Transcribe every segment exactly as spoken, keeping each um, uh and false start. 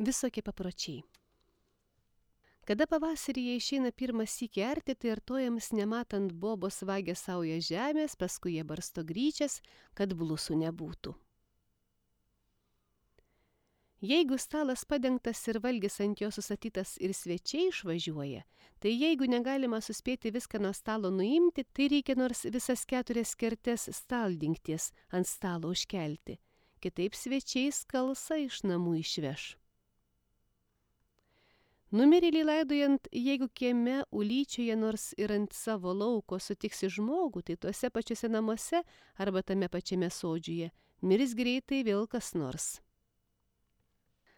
Visokie papročiai. Kada pavasaryje išeina pirmas sykį arti, tai artojams nematant bobos vagia sauja žemės, paskui jie barsto gryčias, kad blusų nebūtų. Jeigu stalas padengtas ir valgis ant jo susatytas ir svečiai išvažiuoja, tai jeigu negalima suspėti viską nuo stalo nuimti, tai reikia nors visas keturias kertes staldingties ant stalo užkelti, kitaip svečiai skalsą iš namų išveš. Numirėlį laidojant, jeigu kieme ulyčioje nors ir ant savo lauko sutiksi žmogų, tai tuose pačiuose namuose arba tame pačiame sodžiuje mirs greitai vėl kas nors.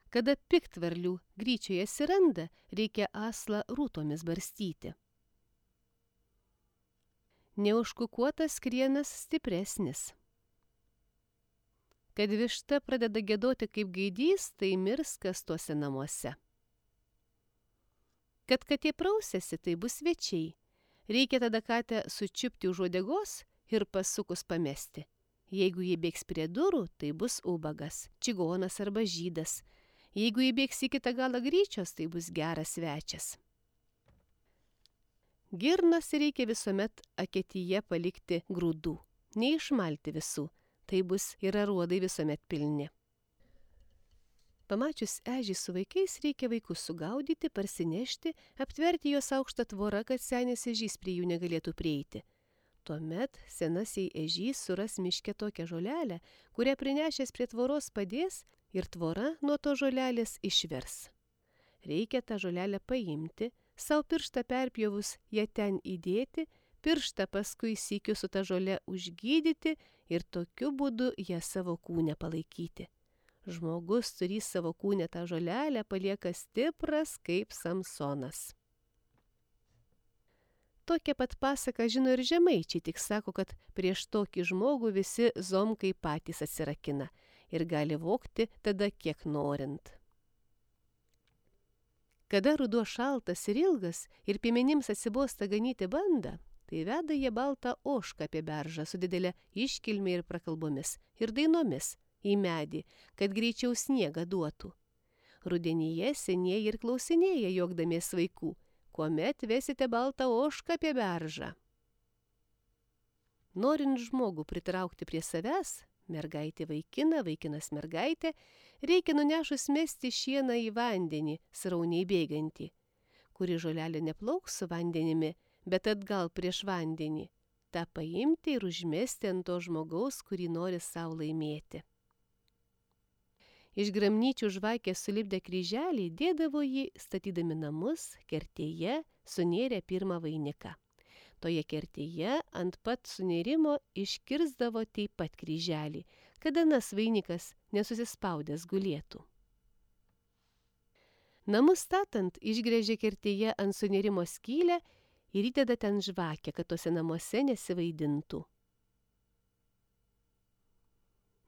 Kada piktvarlių gryčioje atsiranda, reikia aslą rūtomis barstyti. Neužkukuotas krienas stipresnis. Kad višta pradeda giedoti kaip gaidys, tai mirs kas tuose namuose. Kad katė prausėsi, tai bus svečiai. Reikia tada katę sučiupti už uodegos ir pasukus pamesti. Jeigu jį bėgs prie durų, tai bus ubagas, čigonas arba žydas. Jeigu jį bėgs į kitą galą gryčios, tai bus geras svečias. Girnas reikia visuomet aketyje palikti grūdų, neišmalti visų, tai bus ir aruodai visuomet pilni. Pamačius ežį su vaikais, reikia vaikus sugaudyti, parsinešti, aptverti juos aukštą tvorą, kad senis ežys prie jų negalėtų prieiti. Tuomet senasiai ežys suras miške tokią žolelę, kurią prinešęs prie tvoros padės ir tvora nuo to žolelės išvers. Reikia tą žolelę paimti, savo pirštą perpjovus ją ten įdėti, pirštą paskui sykiu su ta žole užgydyti ir tokiu būdu ją savo kūne palaikyti. Žmogus turys savo kūne tą žolelę, palieka stipras kaip Samsonas. Tokią pat pasaką žino ir žemaičiai, tik sako, kad prieš tokį žmogų visi zomkai patys atsirakina ir gali vogti tada kiek norint. Kada ruduo šaltas ir ilgas ir piemenims atsibosta ganyti bandą, tai veda jie baltą ožką apie beržą su didelė iškilmė ir prakalbomis ir dainomis į medį, kad greičiau sniegą duotų. Rudenyje senieji ir klausinėja juokdamies vaikų, kuomet vesite baltą ožką apie beržą. Norint žmogų pritraukti prie savęs, mergaitė vaikiną, vaikinas mergaitė, reikia nunešus mesti šieną į vandenį, srauniai bėgantį, kuri žolelė neplauks su vandenimi, bet atgal prieš vandenį, tą paimti ir užmesti ant to žmogaus, kurį nori savo laimėti. Iš gramnyčių žvakės sulipdę kryželį dėdavo jį, statydami namus, kertėje sunėrė pirmą vainiką. Toje kertėje ant pat sunėrimo iškirsdavo taip pat kryželį, kad anas vainikas nesusispaudęs gulėtų. Namus statant išgręžė kertėje ant sunėrimo skylę ir įdeda ten žvakę, kad tose namuose nesivaidintų.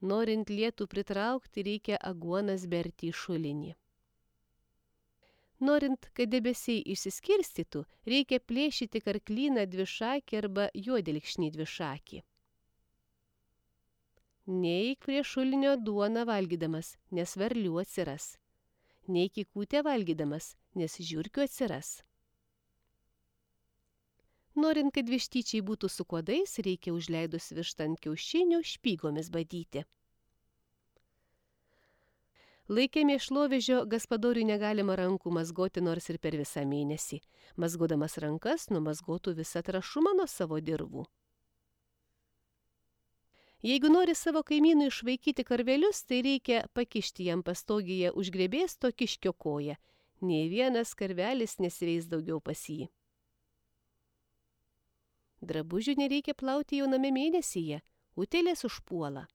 Norint lietų pritraukti, reikia aguonas berti į šulinį. Norint, kad debesiai išsiskirstytų, reikia plėšyti karklyną dvišakį arba juodilkšnį dvišakį. Neik prie šulinio duoną valgydamas, nes varlių atsiras. Neik į kūtę valgydamas, nes žiurkių atsiras. Norint, kad vištyčiai būtų su kuodais, reikia užleidus vištą ant kiaušinių špygomis badyti. Laikė mėšlovežio gaspadoriui negalima rankų mazgoti nors ir per visą mėnesį. Mazgodamas rankas numazgotų visą trašumą nuo savo dirvų. Jeigu nori savo kaimynui išvaikyti karvelius, tai reikia pakišti jam pastogėje užgrebėsto kiškio koją. Nei vienas karvelis nesiveis daugiau pas jį. Drabužių nereikia plauti jauname mėnesyje, utėlės užpuola.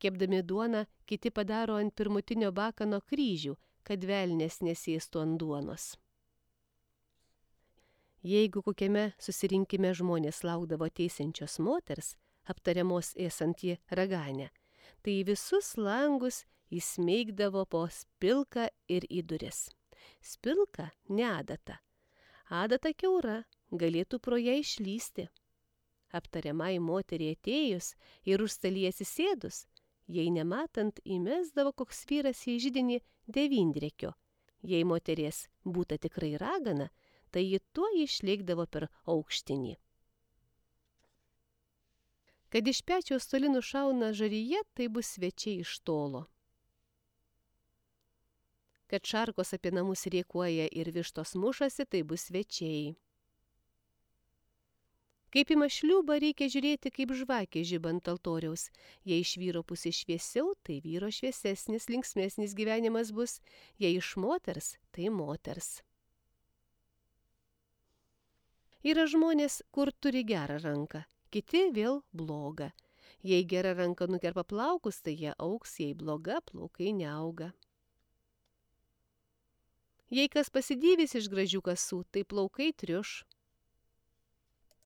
Kepdami duoną, kiti padaro ant pirmutinio bakano kryžių, kad velnias nesėstų ant duonos. Jeigu kokiame susirinkime žmonės laukdavo teisiančios moters, aptariamos ėsant į raganę, tai visus langus įsmeigdavo po spilką ir į duris. Spilka ne adata. Adata kiaura, galėtų pro ją išlysti. Aptariamai moteriai atėjus ir už stalį atsisėdus, Jei nematant, įmesdavo koks vyras į židinį devyndirekio. Jei moteries būta tikrai ragana, tai ji tuo išlėkdavo per aukštinį. Kad iš pečiaus toli nušauna žaryje, tai bus svečiai iš tolo. Kad šarkos apie namus riekuoja ir vištos mušasi, tai bus svečiai. Kaip į mašliubą reikia žiūrėti kaip žvakė žibant altoriaus. Jei iš vyro pusės šviesiau, tai vyro šviesesnis, linksmesnis gyvenimas bus. Jei iš moters, tai moters. Yra žmonės, kur turi gerą ranką, kiti vėl blogą. Jei gera ranka nukerpa plaukus, tai jie augs, jei bloga, plaukai neauga. Jei kas pasidydys iš gražių kasų, tai plaukai triuš.